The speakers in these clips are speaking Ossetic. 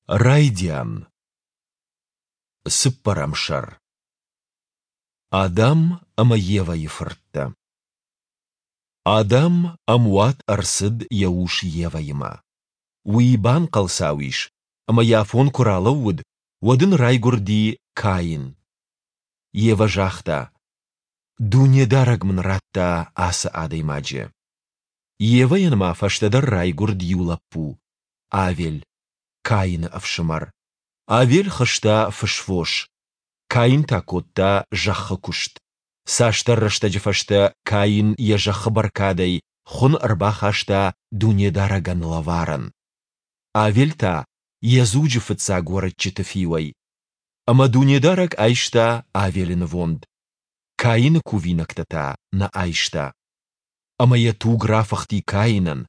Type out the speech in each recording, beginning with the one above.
Райдиан. Цыппӕрӕм сӕр. Адам ӕмӕ Евӕйы фырттӕ. Адам ӕмуат ӕрцыд йӕ ус Евӕимӕ. Уый банхъӕлцау ис, ӕмӕ йӕ афон куы ралӕууыд, уӕд ын райгуырди Каин. Евӕ загъта: Дунедарӕг мын радта ацы адӕймаджы. Евӕйӕн ма фӕстӕдӕр райгуырд иу лӕппу, Авель, Каины ӕфсымӕр. Авель хызта фысвос, Каин та кодта зӕххы куыст. Цасдӕр рӕстӕджы фӕстӕ Каин йӕ зӕххы бӕркадӕй хуын ӕрбахаста Дунедарӕгӕн лӕварӕн. Авель та йӕ дзуджы фыццаг уӕрыччыты фиуӕй. Ӕмӕ Дунедарӕг айста Авелы нывонд, Каины кувинӕгтӕ та нӕ айста. Ӕмӕ йӕ туг рафыхти Каинӕн,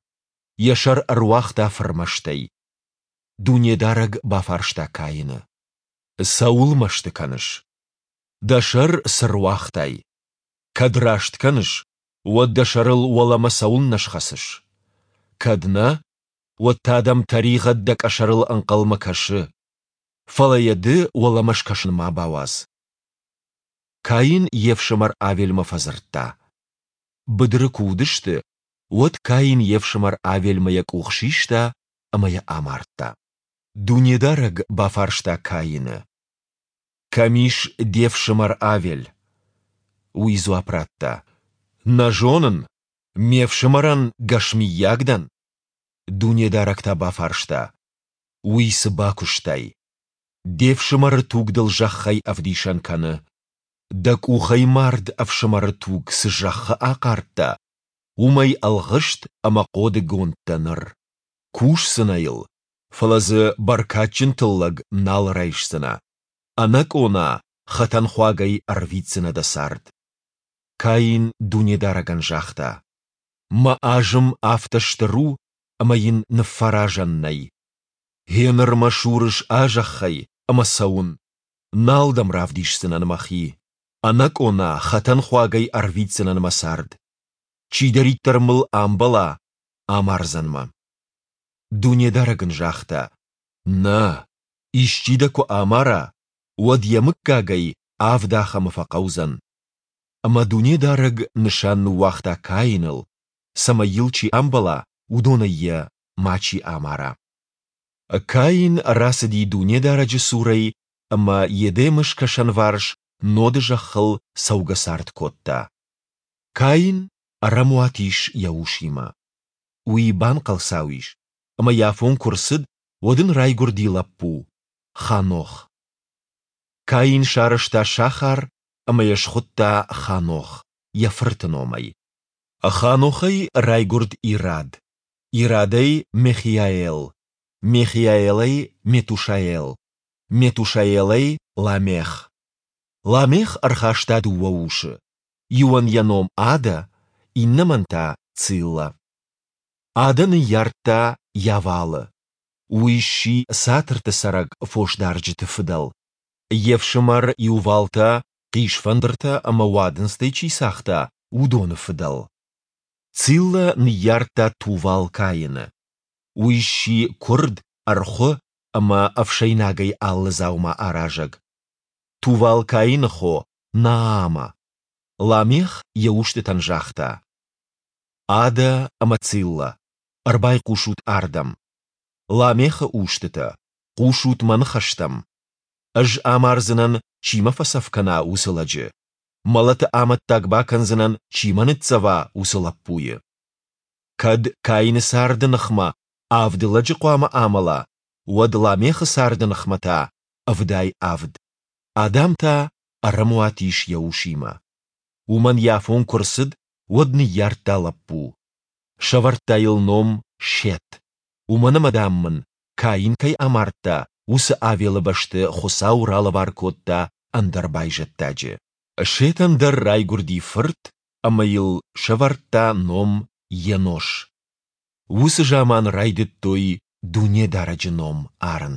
йӕ сӕр ӕруагъта фырмӕстӕй. Дунедарӕг бафарста Каины: Цӕуыл мӕсты кӕныс? Дӕ сӕр цы руагътай? Кӕд раст кӕныс, уӕд дӕ сӕрыл уӕлӕмӕ цӕуылнӕ схӕцыс? Кӕд нӕ, уӕд та дӕм тӕригъӕд дӕ къӕсӕрыл ӕнхъӕлмӕ кӕсы. Фӕлӕ йӕ ды уӕлӕмӕ скӕсын ма бауадз. Каин йе фсымӕр Авельмӕ фӕдзырдта. Быдыры куы уыдысты, уӕд Каин йе фсымӕр Авельмӕ йӕ къух систа ӕмӕ йӕ амардта. Дунедарӕг бафарста Каины: Кӕм ис де фсымӕр Авель? Уый дзуапп радта: Нӕ зонын, ме фсымӕрӕн гӕс мыййаг дӕн? Дунедарӕг та бафарста: Уый цы бакуыстай? Де фсымӕры туг дыл зӕххӕй ӕвдисӕн кӕны. Дӕ къухӕй мард ӕфсымӕры туг цы зӕххы ахъардта, уымӕй ӕлгъыст ӕмӕ хъодыгонд дӕ ныр. Кусдзынӕ йыл, фӕлӕ дзы бӕркадджын тыллӕг нал райсдзынӕ. Ӕнӕкъона, хӕтӕнхуагӕй ӕрвитдзынӕ дӕ цард. Каин Дунедарӕгӕн загъта: Мӕ азым афтӕ стыр у, ӕмӕ йын ныффӕразӕн нӕй. Гъеныр мӕ сурыс а зӕххӕй ӕмӕ цӕуын. Нал дӕм равдисдзынӕн мӕхи. Ӕнӕкъона, хӕтӕнхуагӕй ӕрвитдзынӕн мӕ цард. Чидӕриддӕр мыл амбӕла, амардзӕн мӕ. Дунедарӕг ын загъта: Нӕ, исчи дӕ куы амара, уӕд йӕ мыггагӕй авд ахӕмы фӕхъӕудзӕн. Ӕмӕ Дунедарӕг нысан ныууагъта Каиныл, цӕмӕй йыл чи амбӕла, уыдонӕй йӕ мачи амара. Каин рацыди Дунедарӕджы цурӕй ӕмӕ Едемы скӕсӕнварс Ноды зӕххыл цӕугӕцард кодта. Каин ӕрӕмуат ис йӕ усимӕ. Уый банхъӕлцау ис, ӕмӕ йӕ афон куы рцыд, уӕд ын райгуырди лӕппу, Ханох. Каин сарӕзта сахар ӕмӕ йӕ схуыдта Ханох, йӕ фырты номӕй. Ханохӕй райгуырд Ирад, Ирадӕй Мехиаэл, Мехиаэлӕй Метушаэл, Метушаэлӕй Ламех. Ламех ӕрхаста дыууӕ усы, иуӕн йӕ ном Адӕ, иннӕмӕн та Цилла. Адӕ ныййардта Йавалы. Уый сси цатырты цӕрӕг фосдарджыты фыдӕл. Йе фсымӕр Иувал та, хъисфӕндыртӕ ӕмӕ уадындзтӕй чи цагъта, уыдоны фыдӕл. Цилла ныййардта Тувал-Каины. Уый сси куырд, ӕрхуы ӕмӕ ӕфсӕйнагӕй алы дзаума аразӕг. Тувал-Каины хо Наама. Ламех йӕ устытӕн загъта: Адӕ ӕмӕ Цилла, ӕрбайхъусут ардӕм. Ламехы устытӕ, хъусут мӕ ныхӕстӕм. Ӕз амардзынӕн, чи мӕ фӕцӕф кӕна, уыцы лӕджы. Мӕлӕты амӕттаг бакӕндзынӕн, чи мӕ ныццӕва, уыцы лӕппуйы. Кӕд Каины царды ныхмӕ авд лӕджы хъуамӕ амӕла, уӕд Ламехы царды ныхмӕ та 77. Адам та ӕрӕмуат ис йӕ усимӕ. Уымӕн йӕ афон куы рцыд, уӕд ныййардта лӕппу. Сӕвӕрдта йыл ном Сет, уымӕн ӕмӕ, дам мын, Каин кӕй амардта, уыцы Авелы бӕсты Хуыцау ралӕвар кодта ӕндӕр байзӕддаджы. Сетӕн дӕр райгуырди фырт ӕмӕ йыл сӕвӕрдта ном Енош. Уыцы заман райдыдтой Дунедарӕджы ном арын.